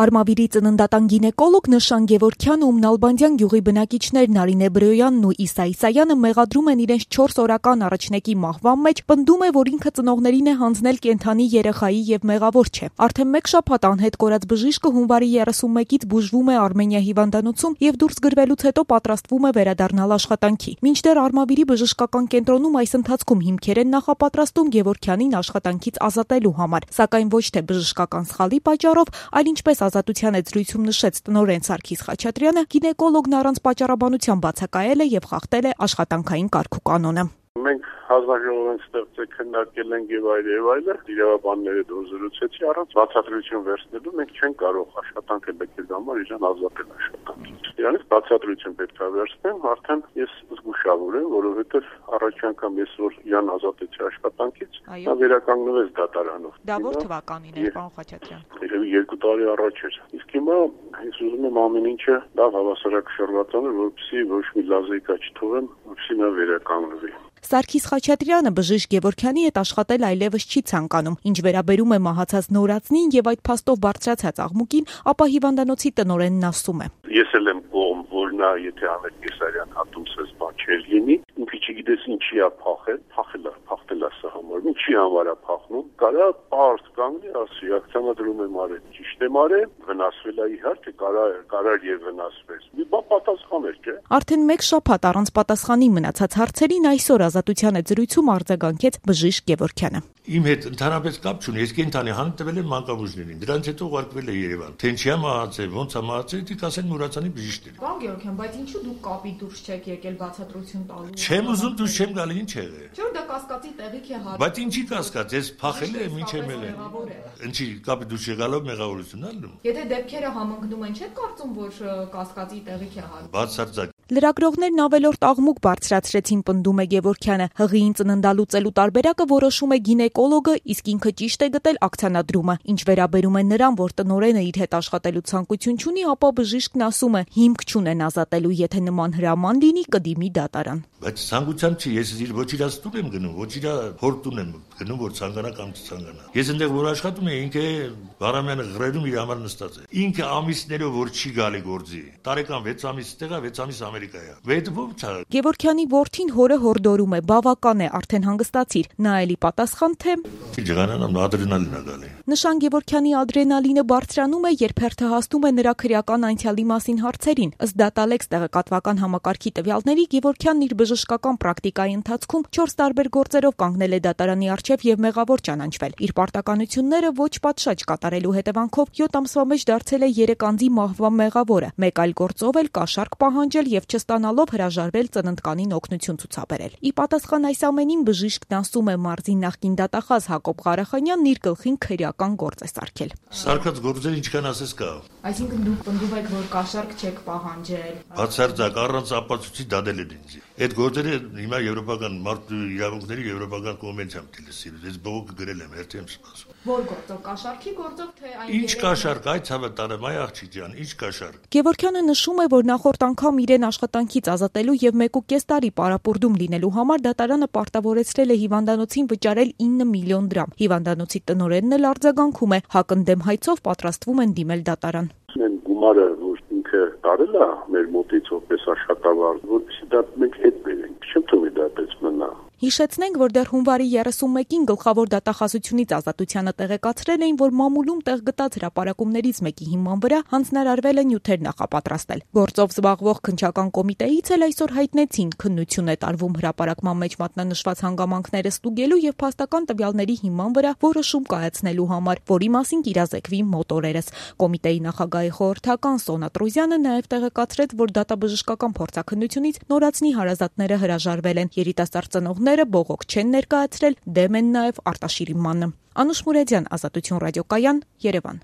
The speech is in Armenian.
Արմավիրի ծննդատան գինեկոլոգ Նշան Գևորգյանը ու Նալբանդյան գյուղի բնակիչներ Նարինե Բրոյանն ու Իսա Իսայանը մեղադրում են իրենց 4 օրական առաջնեկի մահվան մեջ, պնդում է, որ ինքը ծնողներին է հանձնել կենդանի երեխայի եւ մեղավոր չէ։ Արդեն 1 շաբաթ անհետ կորած բժիշկը հունվարի 31-ից բուժվում է Արմենիա հիվանդանոցում եւ դուրս գրվելուց հետո պատրաստվում է վերադառնալ աշխատանքի։ Մինչդեռ Արմավիրի բժշկական կենտրոնում այս ընթացքում հիմքեր են նախապատրաստում Գևորգյանին աշխատանքից ազատելու համար, սակայն ոչ թե բժշկական սխալի պատճառով, այլ ինչպես ազատության էջրույցում նշեց տնօրեն Սարգիս Խաչատրյանը, գինեկոլոգն առանց պատճառաբանության բացակայել է եւ խախտել է աշխատանքային կարգուկանոնը։ Մենք հանձնաժողով ստեղծել քննարկել ենք եւ այլը, իրավաբանները դուրսեցի առանց բացատրություն վերցնելու մենք չենք կարող աշխատանքը լքել համար իրան ազատել աշխատանքից։ Իրանից բացատրություն պետք է վերցնեմ, արդեն ես զգուշավոր եմ, որովհետեւ առաջ անգամ ես որ իրան ազատեցի աշխատանքից, նա վերականգնվեց դատարանով։ Դա որ թվականին է, պարոն Խաչատրյան։ Երևի 2 տարի առաջ էր։ Իսկ հիմա ես ուզում եմ ամեն ինչը լավ հավասարակշռված անել, որպեսզի ոչ մի լազիկա չթողեմ, որպեսզի նա վերականգնվի։ Սարգիս Խաչատրյանը բժիշկ Գևորգյանի հետ աշխատել այլևս չի ցանկանում, ինչ վերաբերում է մահացած նորածնին եւ այդ փաստով բարձրացած աղմուկին, ապա հիվանդանոցի տնօրենն ասում է. Ես էլ եմ կողմ, որ նա եթե Անետ Կեսարյան հատումսես բան չէր լինի, ինքը չգիտես ինչի է փախել է սա համար, ինչի համար է փախնում, կարա պարզ կանգնի, ասի, ակցիոնադրում եմ արել, ճիշտ եմ արել, վնասվել է իհարկե, կարար եւ վնասվեց։ Մի բան պատասխան էր, չէ՞։ Արդեն 1 շաբաթ առանց պատասխանի մնացած հարցերին այսօր ազատության էջրույցում արձագանքեց բժիշկ Գևորգյանը։ Իմ հետ ընդհանրապես կապ չունի, ես կենթանի հանք տվել եմ մանկաբույժներին, դրանից հետո ուղարկվել է Երևան։ Թե ինչի է մահացել, ոնց է մահացել, դիք ասեն Մուրացանի բժիշկները։ Պարոն Գևորգյան, բայց ինչու դուք կապի դուրս չեք եկել բացատրություն տալու։ Չեմ ուզում դուրս չեմ գալի, ինչ եղել։ Չէ՞ որ դա կասկածի տեղիք է հարկ։ Բայց ինչի կասկած, ես փախել եմ, ինչ եմ ելել։ Ինչի կապի դուրս եղալով մեղավորություն ալնում։ Եթե դեպքերը համընկնում են, չեք կարծում, որ կասկածի տեղիք է հարկ։ Բացարձակ։ Լրագրողներն ավելորդ աղմուկ բարձրացրեցին, պնդում է Գևորգյանը։ Հղիին ծննդալուծելու տարբերակը որոշում է գինեկոլոգը, իսկ ինքը ճիշտ է գտել ակցիոնադրումը։ Ինչ վերաբերում է նրան, որ տնօրենը իր հետ աշխատելու ցանկություն չունի, ապա բժիշկն ասում է, հիմք չունեն ազատելու, եթե նման հրաման լինի, կդիմի դատարան։ Բայց ցանկությամբ չի, ես ոչ իր տուն եմ գնում, ոչ իր հոր տուն եմ գնում, որ ցանկանա կամ չցանկանա։ Ես այնտեղ որ աշխատում եմ, ինքը Վարամյանը գրերում իր համար նստած է։ Ինքը ամիսներով որ չի գալի գործի։ Տարեկան 6 ամիս տեղա, 6 ամիս Ամերիկա է։ Վետվում չա։ Գևորգյանի որդին հորը հորդորում է, բավական է, արդեն հանգստացիր։ Նա էլի պատասխան թե Ջղանանամ ադրենալին է գալի։ Նշան Գևորգյանի ադրենալինը բարձրանում է, երբ հերթահասնում է նրա քրեական անցյալի մասին հարցերին։ Ըստ DataLex տեղեկատվական համակարգի տվյալների Գևորգյանն իր բժշկական պրակտիկայի ընթացքում 4 տարբեր գործերով կանգնել է դատարանի առջև եւ մեղավոր ճանաչվել։ Իր պարտականությունները ոչ պատշաճ կատարելու հետևանքով 7 ամսվա մեջ դարձել է 3 անձի մահվան մեղավորը։ Մեկ այլ գործով էլ կաշառք պահանջել եւ չստանալով հրաժարվել ծննդկանին օգնություն ցուցաբերել։ Ի պատասխան այս ամենին բժիշկն ասում է, մարզի նախկին դատախազ Հակոբ Ղարախանյանն իր գլխին քրեական գործ է սարքել։ Սարքած գործեր ինչքան ասես կա։ Այսինքն դուք պնդում եք, որ կաշառք չեք պահանջել։ Բացարձակ առանց ապացույցի դադել են ինձ։ Այդ գործերը հիմա եվրոպական մարդու իրավունքների եվրոպական կոնվենցիայում դիլսի։ Ես բողոքը գրել եմ, հերթի եմ սպասում։ Որ գործով, կաշառքի գործով թե այն։ Ինչ կաշառք, այ ցավը տարեմ, այ աղջիկ ջան, ինչ կաշառք։ Գևորգյանը նշում է, որ նախորդ անգամ իրեն աշխատանքից ազատելու եւ 1.5 տարի պարապուրդում լինելու համար դատարանը պարտավորեցրել է հիվանդանոցին վճարել 9 միլիոն դրամ։ Հիվանդանոցի տնօրենն էլ արձագանքում է, հակընդդեմ հայցով պատրաստվում են դիմել դատարան։ Այն գումարը, որ ինքը տարել է մեր մոտից որպես աշխատավարձ, որպեսզի դա մենք հետ բերենք, չեմ թողի դա պես մնա։ Հիշեցնենք, որ դեռ հունվարի 31-ին գլխավոր դատախազությունից ազատությանը տեղեկացրել էին, որ մամուլում տեղ գտած հրապարակումներից մեկի հիման վրա հանձնարարվել է նյութեր նախապատրաստել։ Գործով զբաղվող քննչական կոմիտեից էլ այսօր հայտնեցին, քննություն է տարվում հրապարակման մեջ մատնանշված հանգամանքները ստուգելու եւ փաստական տվյալների հիման վրա որոշում կայացնելու համար, որի մասին կիրազեկվի մոտորերս։ Կոմիտեի նախագահի խորհրդական Սոնա Տրուզյանը նաեւ տեղեկացրեց, որ դատաբժշկական փորձաքննությունից նորածնի հարազատները հրաժարվել են։ Երիտասարդ ծնողները բողոք չեն ներկայացրել, դեմ են նաև Արտաշիրի մանը։ Անուշ Մուրեդյան, Ազատություն ռադիոկայան, Երևան։